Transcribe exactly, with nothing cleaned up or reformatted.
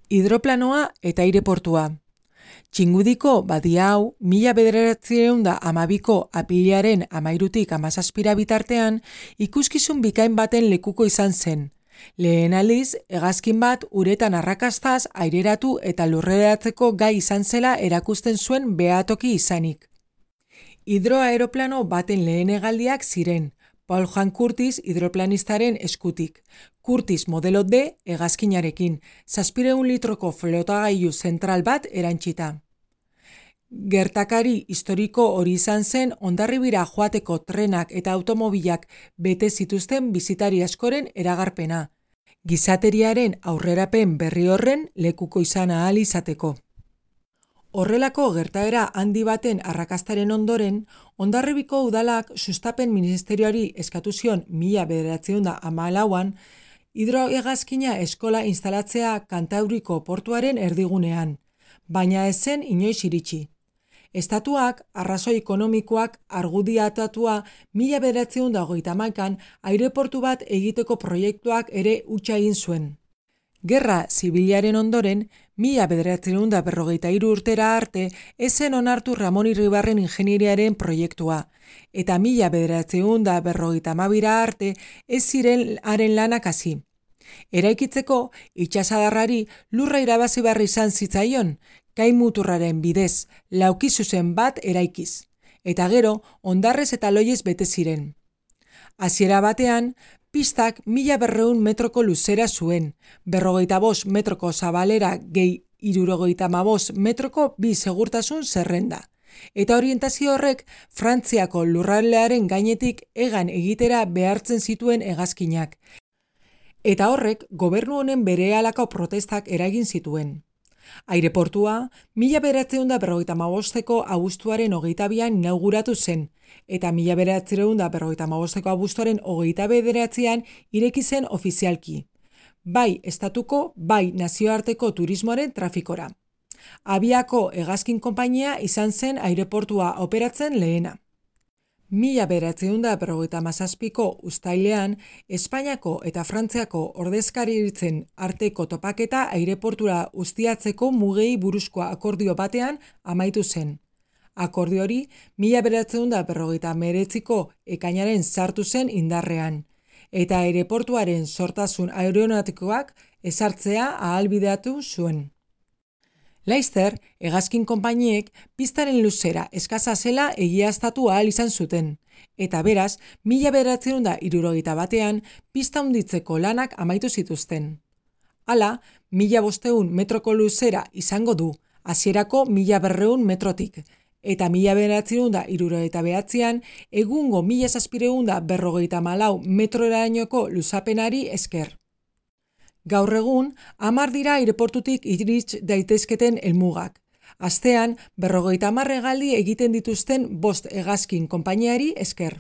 Hidroplanoa eta aireportua. Txingudiko badia hau, mila bederatziehun eta hamabiko apirilaren hamairutik hamazazpira bitartean, ikuskizun bikain baten lekuko izan zen. Lehen aldiz, hegazkin bat uretan arrakastaz aireratu eta lurreratzeko gai izan zela erakusten zuen behatoki izanik. Hidroaeroplano baten lehen hegaldiak ziren, Paul Juan Curtis hidroplanistaren eskutik. Curtis modelo D hegazkinarekin, zazpiehun litroko flotagailu zentral bat erantsita. Gertakari historiko hori izan zen Hondarribira joateko trenak eta automobilak bete zituzten bisitari askoren eragarpena. Gizateriaren aurrerapen berri horren lekuko izan ahal izateko. Horrelako gertaera handi baten arrakastaren ondoren, Hondarribiko udalak sustapen ministerioari eskatu zion mila bederatziehun eta hamalauan hidrohegazkina eskola instalatzea Kantauriko portuaren erdigunean, baina ez zen inoiz iritsi. Estatuak arrazoi ekonomikoak argudiatatua mila bederatziehun eta hogeita hamaikan aireportu bat egiteko proiektuak ere hutsa egin zuen. Gerra zibilaren ondoren, mila bederatziehun eta berrogeita hiru urtera arte ez zen onartu Ramon Irribarren ingenieriaren proiektua, eta mila bederatziehun eta berrogeita hamabira arte ez ziren haren lanak hasi. Eraikitzeko, itsasadarrari lurra irabazi behar izan zitzaion, kai muturraren bidez, laukizuzen bat eraikiz, eta gero, hondarrez eta loiez bete ziren. Hasiera batean, pistak mila berrehun metroko luzera zuen, berrogeita bost metroko zabalera gehi hirurogeita hamabost metroko bi segurtasun zerrenda. Eta orientazio horrek Frantziako lurraldearen gainetik hegan egitera behartzen zituen hegazkinak. Eta horrek gobernu honen berehalako protestak eragin zituen. Aireportua, mila bederatziehun eta berrogeita hamabosteko abuztuaren hogeita bian inauguratu zen, eta mila bederatziehun eta berrogeita hamabosteko abuztuaren hogeita bederatzian ireki zen ofizialki. Bai estatuko, bai nazioarteko turismoaren trafikora. Abiako hegazkin konpainia izan zen aireportua operatzen lehena. Mila bederatziehun eta berrogeita hamazazpiko uztailean, Espainiako eta Frantziako ordezkaritzen arteko topaketa aireportura ustiatzeko mugei buruzko akordio batean amaitu zen. Akordio hori, mila bederatziehun eta berrogeita hemeretziko ekainaren sartu zen indarrean, eta aireportuaren sortasun aeronautikoak ezartzea ahalbideatu zuen. Laster, hegazkin konpainiek pistaren luzera eskasa zela egiaztatu ahal izan zuten, eta beraz, mila bederatziehun eta hirurogeita batean pista handitzeko lanak amaitu zituzten. Hala, mila bostehun metroko luzera izango du, hasierako mila berrehun metrotik, eta mila bederatziehun eta hirurogeita bederatzian egungo mila zazpiehun eta berrogeita hamalau metrorainoko luzapenari esker. Gaur egun, hamar dira aireportutik irits daitezketen helmugak. Astean, berrogeita hamar hegaldi egiten dituzten bost hegazkin konpainiari esker.